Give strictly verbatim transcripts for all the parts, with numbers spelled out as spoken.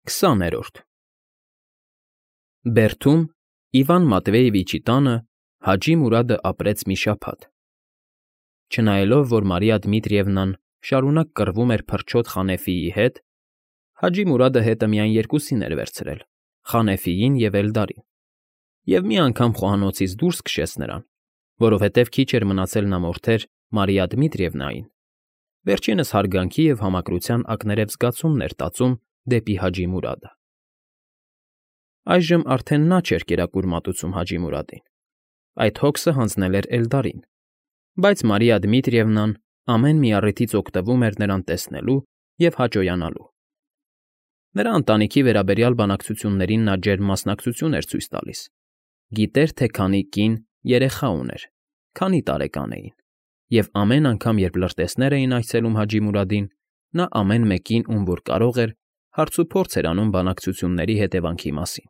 քսաներորդ Բերդում Իվան Մատվեևիչի տանը Հաջի Մուրադը ապրեց մի շաբաթ, չնայելով, որ Մարիա Դմիտրիևնան շարունակ կռվում էր փրչոտ Խանեֆիի հետ, Հաջի Մուրադը հետը միայն երկուսին էր վերցրել՝ Խանեֆիին և Էլդարին, և մի անգամ խոհանոցից դուրս քշեց նրան, որովհետև քիչ էր մնացել նա մորթեր Մարիա Դմիտրիևնային, վերջինս հարգանքի և համակրության ակներև զգացումներ տածում դեպի Հաջի Մուրադը։ Այժմ արդեն նա չէր կերակուր մատուցում Հաջի Մուրադին, այդ հոգսը հանձնել էր Էլդարին, բայց Մարիա Դմիտրիևնան ամեն մի առիթից օգտվում էր նրան տեսնելու և հաճոյանալու։ Նրա ընտանիքի վերաբերյալ բանակցություններին նա ջերմ մասնակցություն էր ցույց տալիս, գիտեր, թե քանի կին, երեխա ուներ, քանի տարեկան էին, և ամեն անգամ, երբ լրտեսներ էին այցելում Հաջի Մուրադին, նա ամեն մեկին, ում որ կարող էր, հարցուփորձ էր անում բանակցությունների հետևանքի մասին։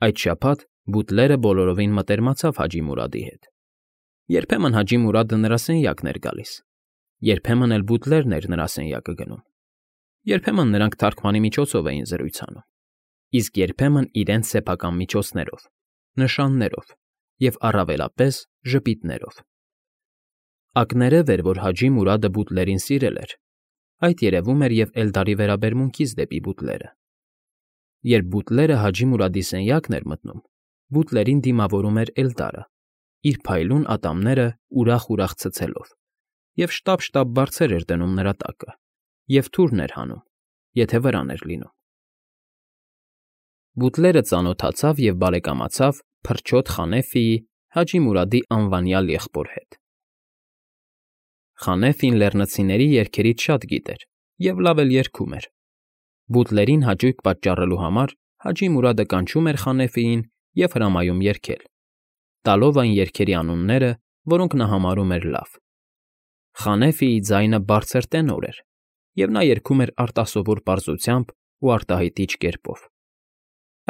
Այդ շաբաթ բուտլերը բոլորովին մտերմացավ Հաջի Մուրադի հետ։ Երբեմն Հաջի Մուրադը նրա սենյակն էր գալիս, երբեմն էլ բուտլերն էր նրա սենյակը գնում, երբեմն նրանք թարգմանի միջոցով էին զրույց անում, իսկ երբեմն իրենց սեփական միջոցներով, նշաններով և առավելապես ժպիտներով։ Ակներև էր, որ Հաջի Մուրադը բուտլերին սիրել էր, այդ երևում էր և Էլդարի վերաբերմունքից դեպի բուտլերը։ Երբ բուտլերը Հաջի Մուրադի սենյակն էր մտնում, բուտլերին դիմավորում էր Էլդարը, իր փայլուն ատամները ուրախ֊ուրախ ցցելով, և շտապ֊շտապ բարձր էր դնում նրա տակը և թուրն էր հանում, եթե վրան էր լինում։ Բուտլերը ծանոթացավ և բարեկամացավ փրչոտ Խանեֆիի, Հաջի Մուրադի անվանյալ եղբոր հետ։ Խանեֆին լեռնցիների երգերից շատ գիտեր և լավ էլ երգում էր։ Բուտլերին հաճույք պատճառելու համար Հաջի Մուրադը կանչում էր Խանեֆիին և հրամայում երգել, տալով այն երգերի անունները, որոնք նա համարում էր լավ։ Խանեֆիի ձայնը բարձր տենոր էր, և նա երգում էր արտասովոր պարզությամբ ու արտահայտիչ կերպով։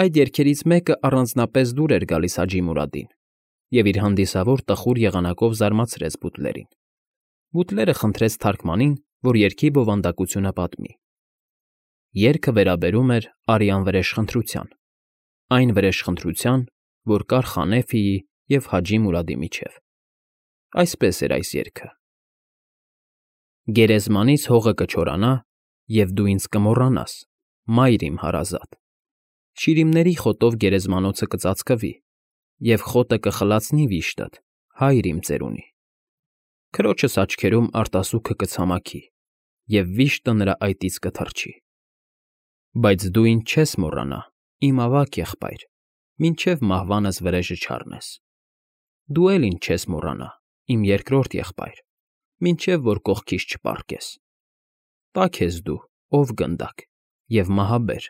Այդ երգերից մեկը առանձնապես դուր էր գալիս Հաջի Մուրադին և իր հանդիսավոր տխուր եղանակով զարմացրեց բուտլերին։ Բուտլերը խնդրեց թարգմանին, որ երգի բովանդակությունը պատմի։ Երգը վերաբերում էր արյան վրեժխնդրության, այն վրեժխնդրության, որ կար Խանեֆիի և Հաջի Մուրադի միջև։ Այսպես էր այս երգը. Գերեզմանից հողը կչորանա, և դու ինձ կմոռանաս, մայր իմ հարազատ, շիրիմների խոտով գերեզմանոցը կծածկվի, և խոտը կխլացնի վիշտդ, հայր իմ ծերունի, քրոջս աչքերում արտասուքը կցամաքի, և վիշտը նրա այտից կթռչի։ Բայց դու ինձ չես մոռանա, իմ ավագ եղբայր, մինչև մահվանս վրեժը չառնես։ Դու էլ ինձ չես մոռանա, իմ երկրորդ եղբայր, մինչև որ կողքիս չպառկես։ Տաք ես դու, ով գնդակ, և մահաբեր,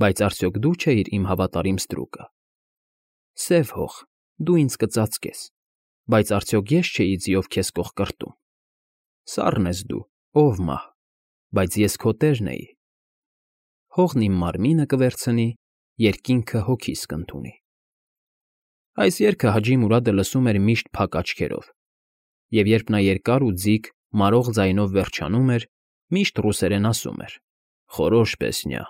բայց արդյոք դու չէիր իմ հավատարիմ ստրուկը։ Սև հող, դու ինձ կծածկես, բայց արդյոք ես չէի ձիով քեզ կողկրտում։ Սառն ես դու, ով մահ, բայց ես քո տերն էի։ Հողն իմ մարմինը կվերցնի, երկինքը հոգիս կընդունի։ Այս երգը Հաջի Մուրադը լսում էր միշտ փակ աչքերով, և երբ նա երկար ու ձիգ, մարող ձայնով վերջանում էր, միշտ ռուսերեն ասում էր. «Խորոշ պեսնյա,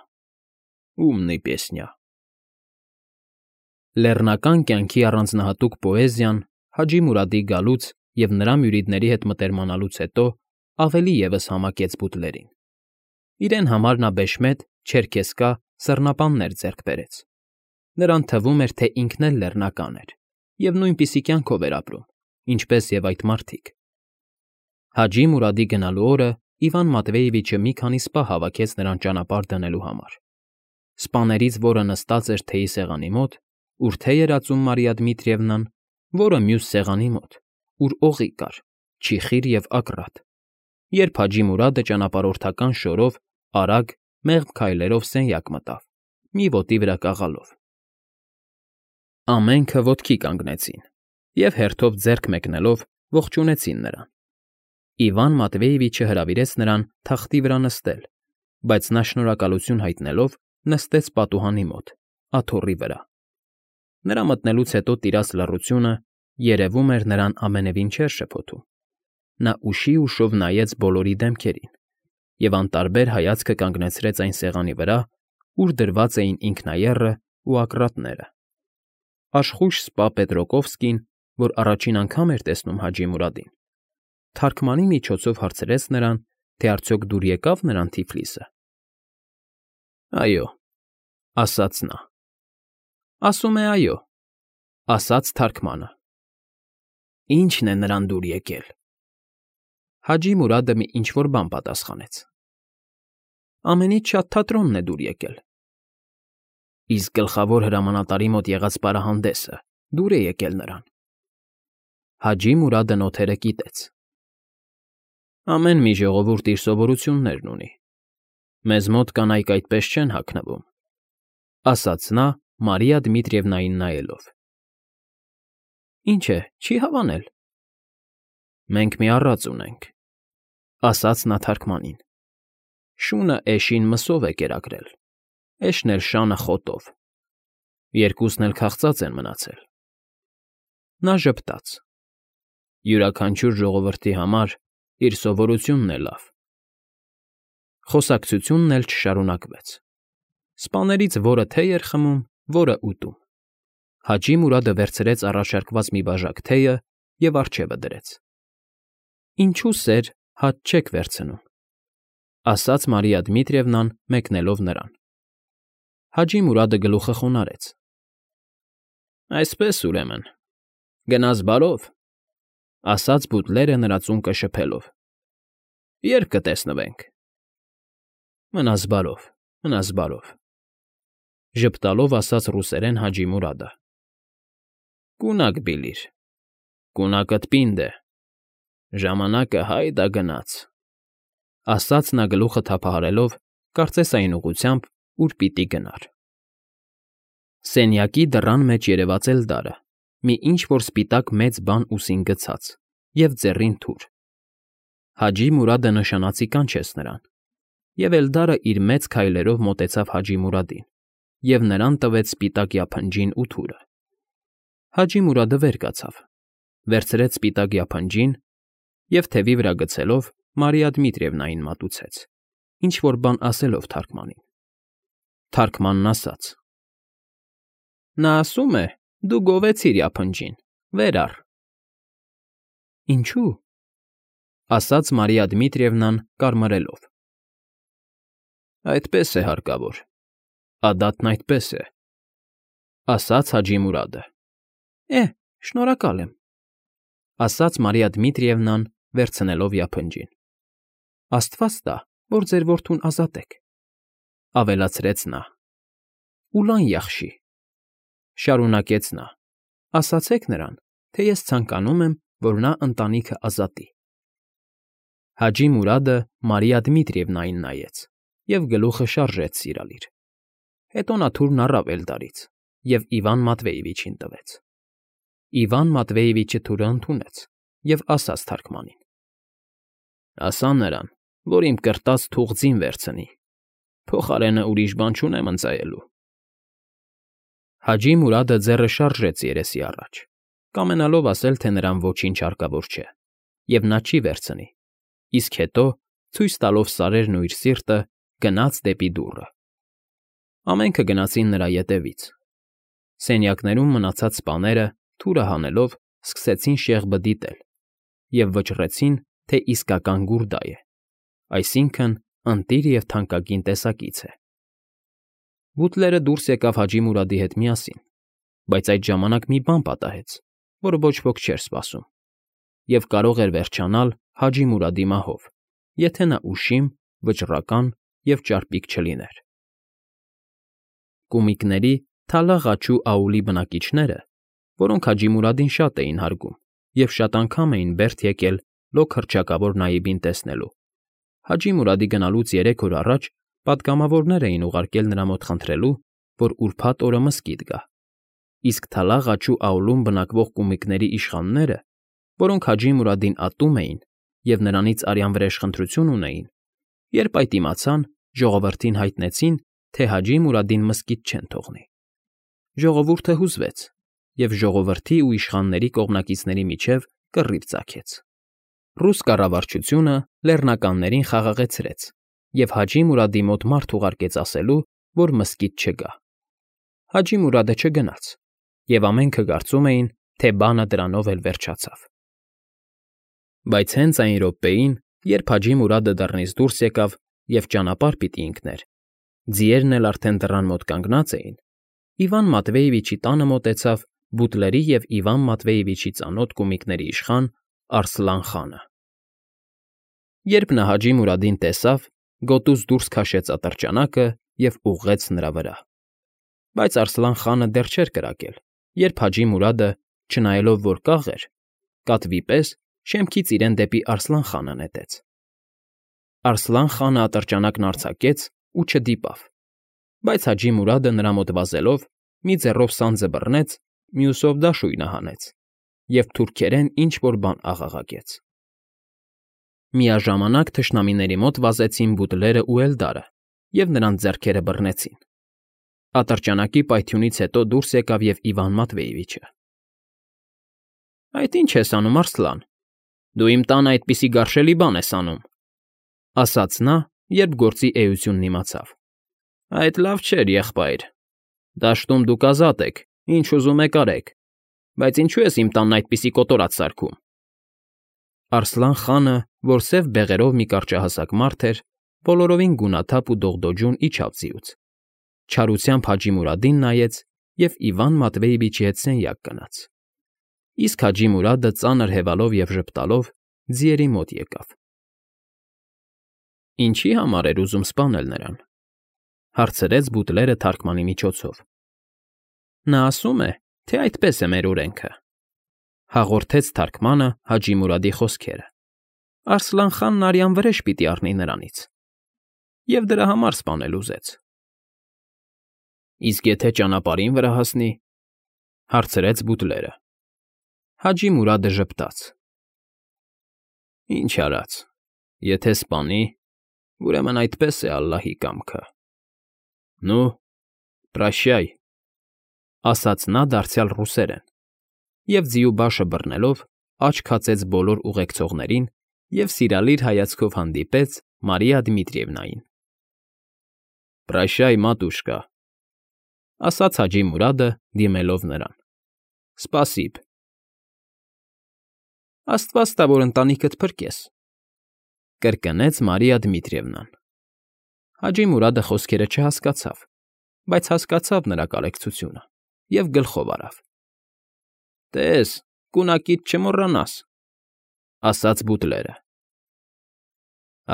ումնի պեսնյա»։ Լեռնական կյանքի առանձնահատուկ պոեզիան Հաջի Մուրադի գալուց և նրա մյուրիդների հետ մտերմանալուց հետո ավելի ևս համակեց բուտլերին։ Իրեն համար նա բեշմետ, չերքեզկա սռնապաններ ձեռք բերեց։ Նրան թվում էր, թե ինքն էլ լեռնական էր և նույնպիսի կյանքով էր ապրում, ինչպես և այդ մարդիկ։ Հաջի Մուրադի գնալու օրը Իվան Մատվեևիչը մի քանի սպա հավաքեց նրան ճանապարհ դնելու համար։ Սպաներից որը նստած էր թեյի սեղանի մոտ, ուր թեյ էր ածում Մարիա Դմիտրիևնան, որը մյուս սեղանի մոտ, ուր օղի կար, չիխիր և ակռատ, երբ Հաջի Մուրադը ճանապարհորդական շորով, արագ, մեղմ քայլերով սենյակ մտավ, մի ոտի վրա կաղալով։ Ամենքը ոտքի կանգնեցին և, հերթով ձեռք մեկնելով, ողջունեցին նրան։ Իվան Մատվեևիչը հրավիրեց նրան թախտի վրա նստել, բայց նա շնորհակալություն հայտնելով նստեց պատուհանի մոտ, աթոռի վրա։ Նրա մտնելուց հետո տիրած լռությունը, երևում էր, նրան ամենևին չէր շփոթում։ Նա ուշի ուշով նայեց բոլորի դեմքերին, և անտարբեր հայացքը կանգնեցրեց այն սեղանի վրա, ուր դրված էին ինքնաեռը ու ակռատները։ Աշխույժ սպա Պետրոկովսկին, որ առաջին անգամ էր տեսնում Հաջի Մուրադին, թարգմանի միջոցով հարցրեց նրան, թե արդյոք դուր եկա՞վ նրան Թիֆլիսը։ ֊ Այո,֊ ասաց նա։ ֊ Ասում է այո,֊ ասաց թարգմանը։ ֊ Ի՞նչն է նրան դուր եկել։ Հաջի Մուրադը մի ինչ֊որ բան պատասխանեց։ ֊ Ամենից շատ թատրոնն է դուր եկել։ ֊ Իսկ գլխավոր հրամանատարի մոտ եղած պարահանդեսը դուր է եկել նրան։ Հաջի Մուրադը նոթերը կիտեց։ ֊ Ամեն մի ժողովուրդ իր սովորություններն ունի։ Մեզ մոտ կանայք այդպես չեն հագնվում,֊ ասաց նա՝ Մարիա Դմիտրիևնային նայելով։ ֊ Ինչ է, չի հավանել։ ֊ Մենք մի առած ունենք,֊ ասաց նա թարգմանին։ Շունը էշին մսով է կերակրել, էշն էլ շանը խոտով. երկուսն էլ քաղծած են մնացել։ Նա ժպտաց. Յուրաքանչյուր ժողովրդի համար իր սովորությունն է լավ։ Խոսակցությունն էլ չշարունակվեց։ Սպաներից որը թեյ էր խմում, որը ուտում։ Հաջի Մուրադը վերցրեց առաջարկված մի բաժակ թեյը և առջևը դրեց։ Ինչու սեր հաց չեք վերցնում,֊ ասաց Մարիա Դմիտրիևնան, մեկնելով նրան։ Հաջի Մուրադը գլուխը խոնարհեց։ ֊ Այսպես, ուրեմն, գնաս բարով,֊ ասաց բուտլերը նրա ծունկը շփելով։ ֊ Ե՞րբ կտեսնվենք։ ֊ Մնաս բարով, մնաս բարով,֊ ժպտալով ասաց ռուսերեն Հաջի Մուրադը։ ֊ Կունակ բիլիր, կունակդ պինդ է, ժամանակը հայ դա գնաց,֊ ասաց նա գլուխը թափահարելով, կարծես այն ուղղությամբ, ուր պիտի գնար։ Սենյակի դռան մեջ երևաց Էլդարը, մի ինչ֊որ սպիտակ մեծ բան ուսին գցած և ձեռին թուր։ Հաջի Մուրադը նշանածի կանչեց նրան, և Էլդարը իր մեծ քայլերով մոտեցավ Հաջի Մուրադին և նրան տվեց սպիտակ յափնջին ու թուրը։ Հաջի Մուրադը վեր կացավ, վերցրեց սպիտակ յափնջին և, թևի վրա գցելով, Մարիա Դմիտրիևնային մատուցեց, ինչ֊որ բան ասելով թարգմանին։ Թարգմանն ասաց. Նա ասում է, դու գովեցիր յափնջին, վեր առ։ ֊ Ինչո՞ւ,֊ ասաց Մարիա Դմիտրիևնան, կարմրելով։ ֊ Այդպես է հարկավոր, ադատն այդպես է,֊ ասաց Հաջի Մուրադը։ ֊ Է՛հ, շնորհակալ եմ,֊ ասաց Մարիա Դմիտրիևնան, վերցնելով յափնջին։ ֊ Աստված տա, որ ձեր որդուն ազատեք,֊ ավելացրեց նա։ ֊ Ուլան յախշի,֊ շարունակեց նա,֊ ասացեք նրան, թե ես ցանկանում եմ, որ նա ընտանիքը ազատի։ Հաջի Մուրադը Մարիա Դմիտրիևնային նայեց և գլուխը շարժեց սիրալիր։ Հետո նա թուրն առավ Էլդարից և Իվան Մատվեևիչին տվեց։ Իվան Մատվեևիչը թուրը ընդունեց և ասաց թարգմանին. Ասա նրան, որ իմ կրտած թուղձին վերցնի, փոխարենը ուրիշ բան չունեմ ընծայելու։ Հաջի Մուրադը ձեռը շարժեց երեսի առաջ, կամենալով ասել, թե նրան ոչինչ հարկավոր չէ, և նա չի վերցնի, իսկ հետո, ցույց տալով սարերն ու իր սիրտը, գնաց դեպի դուռը։ Ամենքը գնացին նրա ետևից։ Սենյակներում մնացած սպաները, թուրը հանելով, սկսեցին շեղբը դիտել և վճռեցին, թե իսկական գուրդա է, այսինքն՝ ընտիր և թանկագին տեսակից է։ Բուտլերը դուրս եկավ Հաջի Մուրադի հետ միասին, բայց այդ ժամանակ մի բան պատահեց, որ ոչ ոք չէր սպասում, և կարող էր վերջանալ Հաջի Մուրադի մահով, եթե նա ուշիմ, վճռական և ճարպիկ չլիներ։ Կումիկների Թալա֊Ղաչու աուլի բնակիչները, որոնք Հաջի Մուրադին շատ էին հարգում և շատ անգամ էին բերդ եկել լոկ հռչակավոր Նայիբին տեսնելու, Հաջի Մուրադի գնալուց երեք օր առաջ պատգամավորներ էին ուղարկել նրա մոտ խնդրելու, որ ուրբաթ օրը մզկիթ գա, իսկ Թալա֊Ղաչու աուլում բնակվող կումիկների իշխանները, որոնք Հաջի Մուրադին ատում էին և նրանից արյան վրեժխնդրություն ունեին, երբ այդ իմացան, ժողովրդին հայտնեցին, թե Հաջի Մուրադին մզկիթ չեն թողնի։ Ժողովուրդը հուզվեց, և ժողովրդի ու իշխանների կողմնակիցների միջև կռիվ ծագեց։ Ռուս կառավարչությունը լեռնականներին խաղաղեցրեց և Հաջի Մուրադի մոտ մարդ ուղարկեց ասելու, որ մզկիթ չգա։ Հաջի Մուրադը չգնաց, և ամենքը կարծում էին, թե բանը դրանով էլ վերջացավ։ Բայց հենց այն րոպեին, երբ Հաջի Մուրադը դռնից դուրս եկավ և ճանապարհ պիտի ընկներ, ձիերն էլ արդեն դռան մոտ կանգնած էին, Իվան Մատվեևիչի տանը մոտեցավ Բուտլերի և Իվան Մատվեևիչի ծանոթ կումիկների իշխան Արսլան֊խանը։ Երբ նա Հաջի Մուրադին տեսավ, գոտուց դուրս քաշեց ատրճանակը և ուղղեց նրա վրա։ Բայց Արսլան֊խանը դեռ չէր կրակել, երբ Հաջի Մուրադը, չնայելով որ կաղ էր, կատվի պես շեմքից իրեն դեպի Արսլան֊խանը նետեց։ Արսլան֊խանը ատրճանակն արձակեց ու չդիպավ, բայց Հաջի Մուրադը նրա մոտ վազելով մի ձեռով սանձը բռնեց, մյուսով դաշույնը հանեց և թուրքերեն ինչ֊որ բան աղաղակեց։ Միաժամանակ թշնամիների մոտ վազեցին Բուտլերն ու Էլդարը և նրանց ձեռքերը բռնեցին։ Ատրճանակի պայթյունից հետո դուրս եկավ և Իվան Մատվեևիչը։ ֊ Այդ ի՞նչ ես անում, Արսլան, դու իմ տանը այդպիսի գարշելի բան ես անում,֊ ասաց նա, երբ գործի էությունն իմացավ։ ֊ Այդ լավ չէր, եղբայր. դաշտում դուք ազատ եք, ինչ ուզում եք արեք, բայց ինչո՞ւ ես իմ տանն այդպիսի կոտորած սարքում։ Արսլան֊խանը, որ սև բեղերով մի կարճահասակ մարդ էր, բոլորովին գունաթափ ու դողդոջուն իջավ ձիուց, չարությամբ Հաջի Մուրադին նայեց և Իվան Մատվեևիչի հետ սենյակ գնաց։ Իսկ Հաջի Մուրադը ծանր հևալով և ժպտալով ձիերի մոտ եկավ։ ֊ Ինչի՞ համար էր ուզում սպանել նրան,֊ հարցրեց Բուտլերը թարգմանի միջոցով։ ֊ Նա ասում է, թե այդպես է մեր օրենքը,֊ հաղորդեց թարգմանը Հաջի Մուրադի խոսքերը։ Արսլան֊խանն արյան վրեժ պիտի առնի նրանից, և դրա համար սպանել ուզեց։ ֊ Իսկ եթե ճանապարհին վրա հասնի,֊ հարցրեց Բուտլերը։ Հաջի Մուրադը ժպտաց. ֊ Ինչ արած, եթե սպանի, ուրեմն այդպես է ալլահի կամքը։ ֊ Նու, պրաշյայ,֊ ասաց նա դարձյալ ռուսերեն և ձիու բաշը բռնելով աչք հացեց բոլոր ուղեկցողներին և սիրալիր հայացքով հանդիպեց Մարիա Դմիտրիևնային։ ֊ Պրաշյայ, մատուշկա,֊ ասաց Հաջի Մուրադը, դիմելով նրան,֊ սպասիբ։ ֊ Աստված տա, որ ընտանիքդ փրկես,֊ կրկնեց Մարիա Դմիտրիևնան։ Հաջի Մուրադը խոսքերը չհասկացավ, բայց հասկացավ նրա կարեկցությունը և գլխով արավ։ ֊ Տես, կունակիդ չմոռանաս,֊ ասաց Բուտլերը։ ֊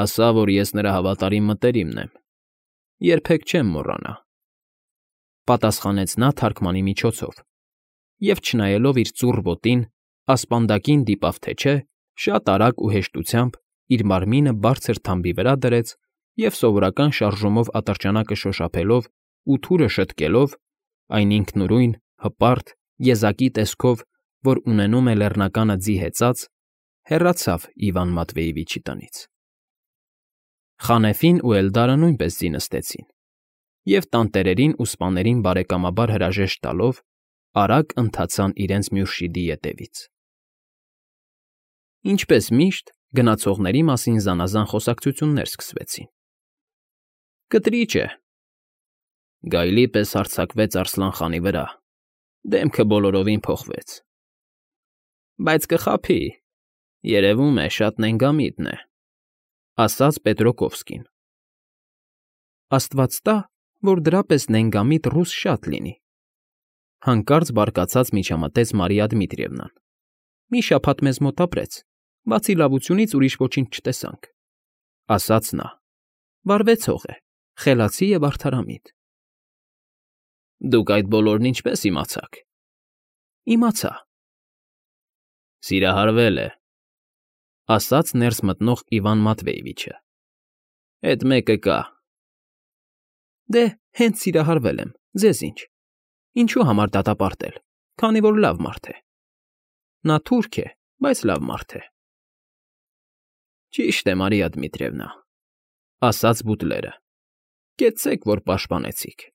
Ասա, որ ես նրա հավատարիմ մտերիմն եմ, երբեք չեմ մոռանա,֊ պատասխանեց նա թարգմանի միջոցով և, չնայելով իր ծուռ ոտին, ասպանդակին դիպավ թե չէ, շատ արագ ու հեշտությամբ իր մարմինը բարձր թամբի վրա դրեց և սովորական շարժումով ատրճանակը շոշափելով ու թուրը շտկելով, այն ինքնուրույն, հպարտ, եզակի տեսքով, որ ունենում է լեռնականը ձի հեծած, հեռացավ Իվան Մատվեևիչի տնից։ Խանեֆին ու Էլդարը նույնպես ձի նստեցին և, տանտերերին ու սպաներին բարեկամաբար հրաժեշտ տալով, արագ ընթացան իրենց մյուրշիդի ետևից։ Ինչպես միշտ, գնացողների մասին զանազան խոսակցություններ սկսվեցին։ ֊ Կտրիճ է,֊ գայլի պես հարձակվեց Արսլան֊խանի վրա, դեմքը բոլորովին փոխվեց։ ֊ Բայց կխաբի, երևում է, շատ նենգամիտ է,֊ ասաց Պետրոկովսկին։ ֊ Աստված տա, որ դրա պես նենգամիտ ռուս շատ լինի,֊ հանկարծ բարկացած միջամտեց Մարիա Դմիտրիևնան։ ֊ Մի շաբաթ մեզ մոտ ապրեց, բացի լավությունից ուրիշ ոչինչ չտեսանք,֊ ասաց նա։ Վարվեցող է, խելացի և արդարամիտ։ ֊ Դուք այդ բոլորն ինչպե՞ս իմացաք։ ֊ Իմացա։ ֊ Սիրահարվել է,֊ ասաց ներս մտնող Իվան Մատվեևիչը։ ֊ Էդ մեկը կա։ ֊ Դե, հենց սիրահարվել եմ, ձեզ ինչ։ Ինչու համար դատապարտել, քանի որ լավ մարդ է։ Նա թուրք է, բայց լավ մարդ է։ ֊ Ճիշտ է, Մարիա Դմիտրիևնա,֊ ասաց Բուտլերը։ ֊ Կեցցեք, որ պաշտպանեցիք։